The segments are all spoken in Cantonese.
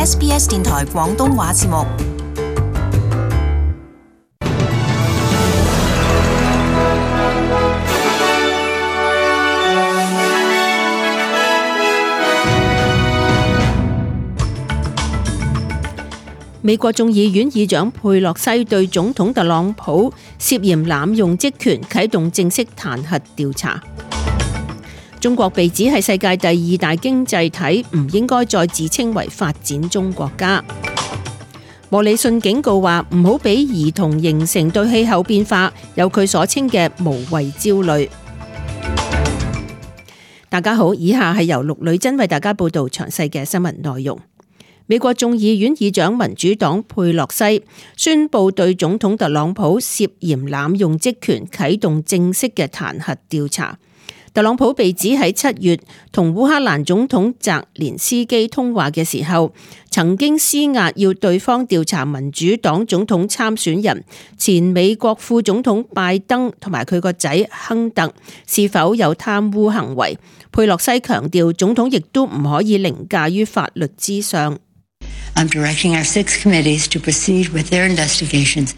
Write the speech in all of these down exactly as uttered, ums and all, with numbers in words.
S B S 電台廣東話節目。美國眾議院議長佩洛西對總統特朗普涉嫌濫用職權啟動正式彈劾調查。中國被指係世界第二大經濟體，唔應該再自稱為發展中國家。莫里遜警告話唔好俾兒童形成對氣候變化有佢所稱嘅無謂焦慮。大家好，以下係由陸女真為大家報道詳細嘅新聞內容。美國眾議院議長民主黨佩洛西宣布對總統特朗普涉嫌濫用職權啟動正式嘅彈劾調查。特朗普被指喺七月同烏克蘭總統澤連斯基通話嘅時候，曾經施壓要對方調查民主黨總統參選人前美國副總統拜登同埋佢個仔亨特是否有貪污行為。佩洛西強調，總統亦都唔可以凌駕於法律之上。I'm directing our six committees to proceed with their investigations.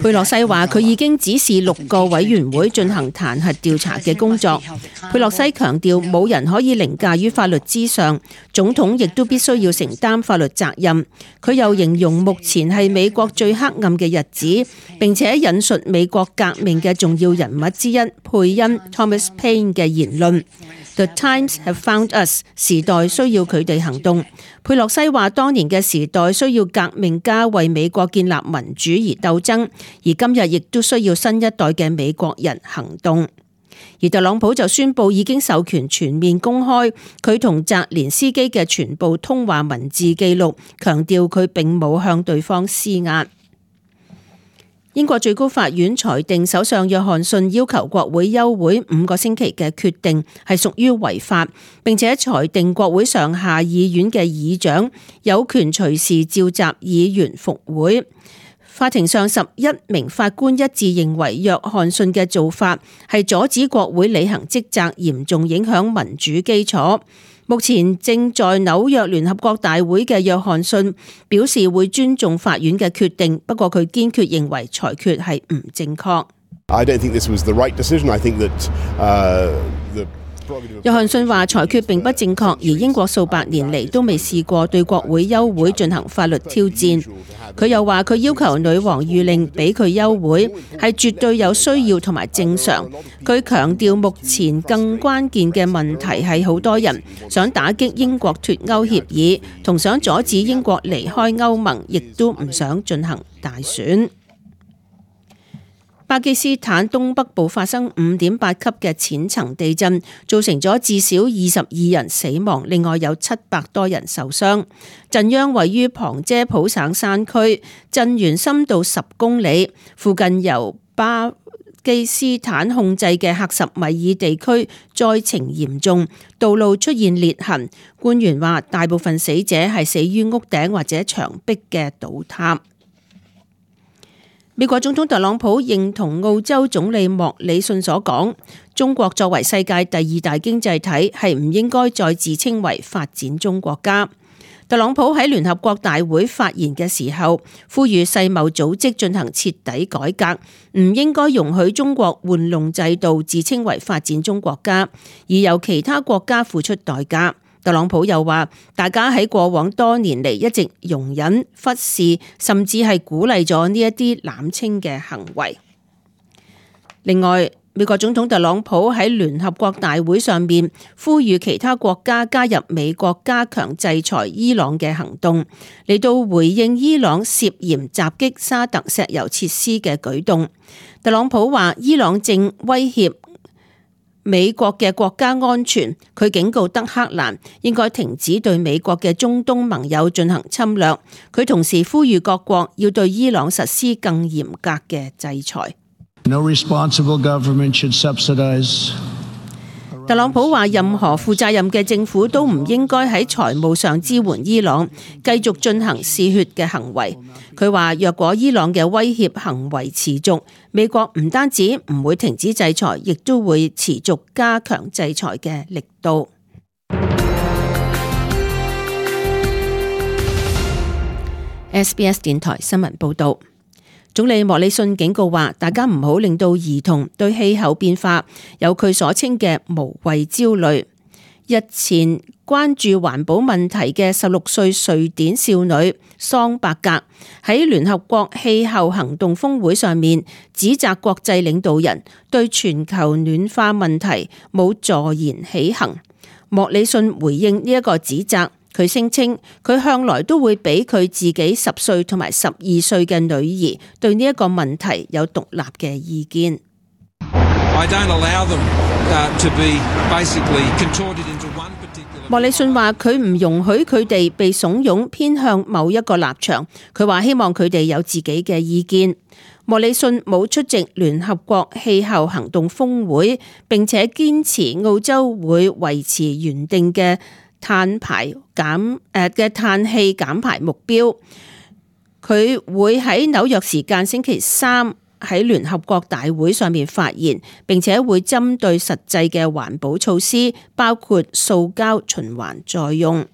佩洛西話佢已經指示六個委員會進行彈劾調查嘅工作。佩洛西強調冇人可以凌駕於法律之上，總統亦都必須要承擔法律責任。佢又形容目前係美國最黑暗嘅日子，並且引述美國革命嘅重要人物之一佩恩 Thomas Paine 嘅言論。The times have found us， 時代需要佢哋行動。佩洛西話當年嘅時代需要革命家為美國建立民主而鬥爭，而今日亦都需要新一代嘅美國人行動。而特朗普就宣布已經授權全面公開佢同澤連斯基嘅全部通話文字記錄，強調佢並冇向對方施壓。英國最高法院裁定首相約翰遜要求國會休會五個星期嘅決定係屬於違法，並且裁定國會上下議院嘅議長有權隨時召集議員復會。法庭上十一名法官一致認為約翰遜嘅做法係阻止國會履行職責，嚴重影響民主基礎。目前正在紐約聯合國大會嘅約翰遜表示會尊重法院嘅決定，不過佢堅決認為裁決係唔正確。I don't think this was the right decision. I think that, uh, the約翰遜話裁決並不正確，而英國數百年嚟都未試過對國會休會進行法律挑戰。佢又話佢要求女王諭令俾佢休會係絕對有需要同埋正常。佢強調目前更關鍵嘅問題係好多人想打擊英國脫歐協議，同想阻止英國離開歐盟，亦都唔想進行大選。巴基斯坦東北部發生五點八級嘅淺層地震，造成咗至少二十二人死亡，另外有七百多人受傷。震央位於旁遮普省山區，震源深度十公里，附近由巴基斯坦控制嘅克什米爾地區災情嚴重，道路出現裂痕。官員話大部分死者係死於屋頂或者牆壁嘅倒塌。美國總統特朗普認同澳洲總理莫里遜所講，中國作為世界第二大經濟體，係唔應該再自稱為發展中國家。特朗普喺聯合國大會發言嘅時候，呼籲世貿組織進行徹底改革，唔應該容許中國玩弄制度，自稱為發展中國家，而由其他國家付出代價。特朗普又話，大家喺過往多年嚟一直容忍、忽視，甚至係鼓勵咗呢一啲濫稱嘅行為。另外，美國總統特朗普喺聯合國大會上面呼籲其他國家加入美國加強制裁伊朗嘅行動，嚟到回應伊朗涉嫌襲擊沙特石油設施嘅舉動。特朗普話，伊朗正威脅美國嘅國家安全，佢警告德黑蘭應該停止對美國嘅中東盟友進行侵略。佢同時呼籲各國要對伊朗實施更嚴格嘅制裁。No responsible government should subsidize. 特朗普話，任何負責任嘅政府都唔應該喺財務上支援伊朗，繼續進行嗜血嘅行為。佢話，若果伊朗嘅威脅行為持續，美國唔單止唔會停止制裁，亦都會持續加強制裁嘅力度。S B S 電台新聞報道。總理莫里遜警告話，大家唔好令到兒童對氣候變化有佢所稱嘅無謂焦慮。日前關注環保問題嘅十六歲瑞典少女桑伯格喺聯合國氣候行動峰會上面指責國際領導人對全球暖化問題冇坐言起行。莫里遜回應呢一個指責，佢聲稱佢向來都會俾佢自己十歲同埋十二歲嘅女兒對呢一個問題有獨立嘅意見。莫里遜話佢唔容許佢哋被慫恿偏向某一個立場，佢話希望佢哋有自己嘅意見。莫里遜冇出席聯合國氣候行動峰會，並且堅持澳洲會維持原定嘅碳排減誒嘅碳氣減排目標。佢會喺紐約時間星期三喺聯合國大會上面發言，並且會針對實際嘅環保措施，包括塑膠循環再用。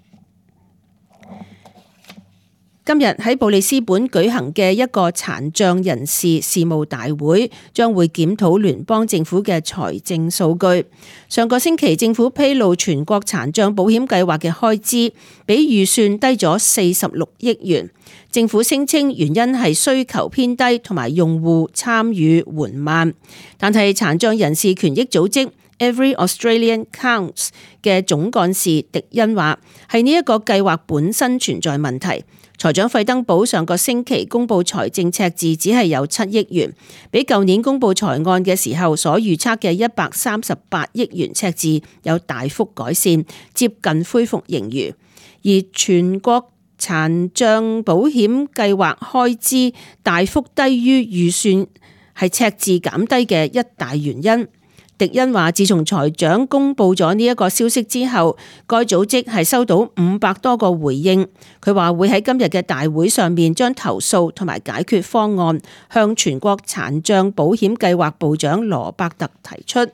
今日喺布里斯本舉行嘅一個殘障人士事務大會，將會檢討聯邦政府嘅財政數據。上個星期政府披露全國殘障保險計劃嘅開支比預算低咗四十六億元。政府聲稱原因係需求偏低同埋用戶參與緩慢，但係殘障人士權益組織 Every Australian Counts 嘅總幹事迪恩話，係呢一個計劃本身存在問題。財長費登堡上個星期公布財政赤字只係有七億元，比舊年公布財案嘅時候所預測嘅一百三十八億元赤字有大幅改善，接近恢復盈餘。而全國殘障保險計劃開支大幅低於預算，係赤字減低嘅一大原因。迪恩話，自從財長公布咗呢一個消息之後，該組織係收到五百多個回應。佢話會喺今日嘅大會上面將投訴同埋解決方案向全國殘障保險計劃部長羅伯特提出。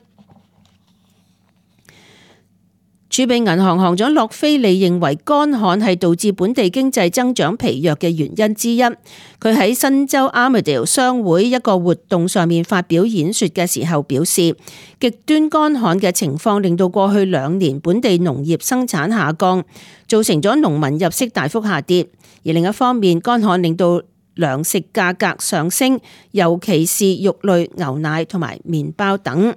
儲備銀行行長洛菲利認為乾旱係導致本地經濟增長疲弱嘅原因之一。佢喺新州 Armidale 商會一個活動上面發表演說嘅時候表示，極端乾旱嘅情況令到過去兩年本地農業生產下降，造成咗農民入息大幅下跌。而另一方面，乾旱令到糧食價格上升，尤其是肉類、牛奶同埋麵包等。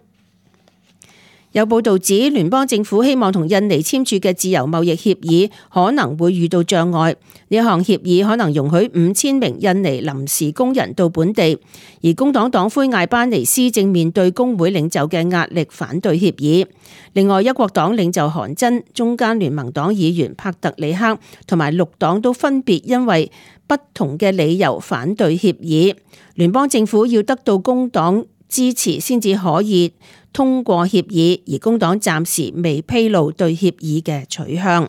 有報道指，聯邦政府希望同印尼簽署嘅自由貿易協議可能會遇到障礙。呢一項協議可能容許五千名印尼臨時工人到本地，而工黨黨魁艾班尼斯正面對工會領袖嘅壓力反對協議。另外，一國黨領袖韓真、中間聯盟黨議員帕特里克同埋綠黨都分別因為不同嘅理由反對協議。聯邦政府要得到工黨支持先至可以通過協議，而工黨暫時未披露對協議嘅取向。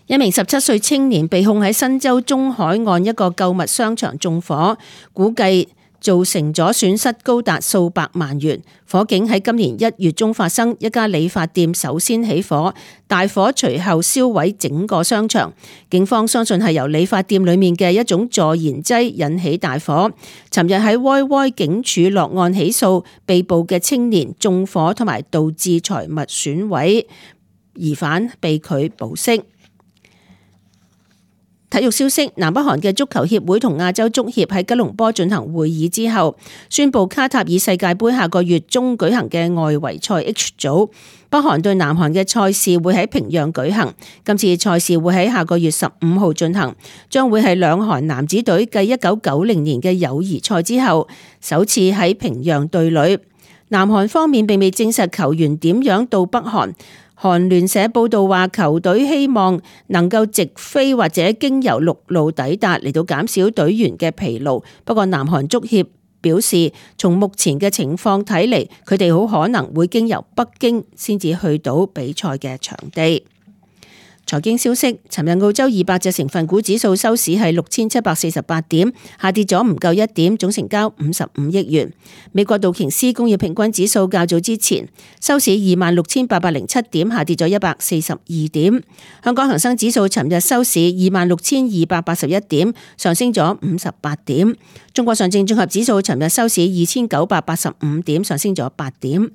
一名十七歲青年被控喺新州中海岸一個購物商場縱火，估計造成咗損失高達數百萬元。火警喺今年一月中發生，一家理髮店首先起火，大火隨後燒毀整個商場。警方相信係由理髮店裡面嘅一種助燃劑引起大火。尋日喺歪歪警署落案起訴被捕嘅青年縱火同埋導致財物損毀，疑犯被拒保釋。體育消息，南北韓嘅足球協會同亞洲足協喺吉隆坡進行會議之後，宣布卡塔爾世界盃下個月中舉行嘅外圍賽 H 組，北韓對南韓嘅賽事會喺平壤舉行。今次賽事會喺下個月十五號進行，將會係兩韓男子隊繼一九九零年嘅友誼賽之後，首次喺平壤對壘。南韓方面並未證實球員點樣到北韓。韓聯社報道話，球隊希望能夠直飛或者經由陸路抵達，嚟到減少隊員嘅疲勞。不過南韓足協表示，從目前嘅情況睇嚟，佢哋好可能會經由北京先至去到比賽嘅場地。財經消息，尋日澳洲二百隻成分股指數收市係六千七百四十八點，下跌咗唔夠一點，總成交五十五億元。美國道瓊斯工業平均指數較早之前收市二萬六千八百零七點，下跌咗一百四十二點。香港恒生指數尋日收市二萬六千二百八十一點，上升咗五十八點。中國上證綜合指數尋日收市二千九百八十五點，上升咗八點。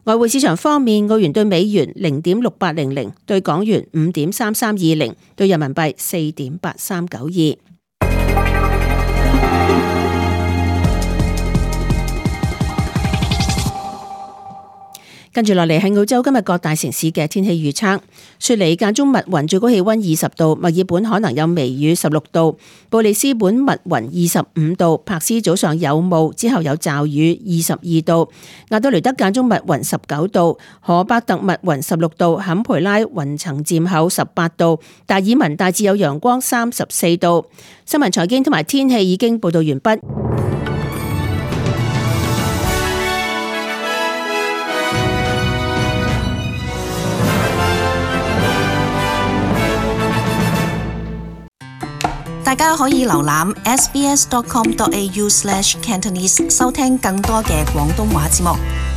外匯市場方面，澳元對美元零點六八零零，對港元五點三三二零，對人民幣四點八三九二。跟住落嚟係澳洲今日各大城市嘅天氣預測。雪梨間中密雲，最高氣溫二十度；墨爾本可能有微雨，十六度；布里斯本密雲，二十五度；柏斯早上有霧，之後有驟雨，二十二度；亞德雷德間中密雲，十九度；荷伯特密雲，十六度；坎培拉雲層漸厚，十八度；達爾文大致有陽光，三十四度。新聞財經同埋天氣已經報道完畢。大家可以瀏覽 s b s dot com dot a u slash cantonese 收聽更多嘅廣東話節目。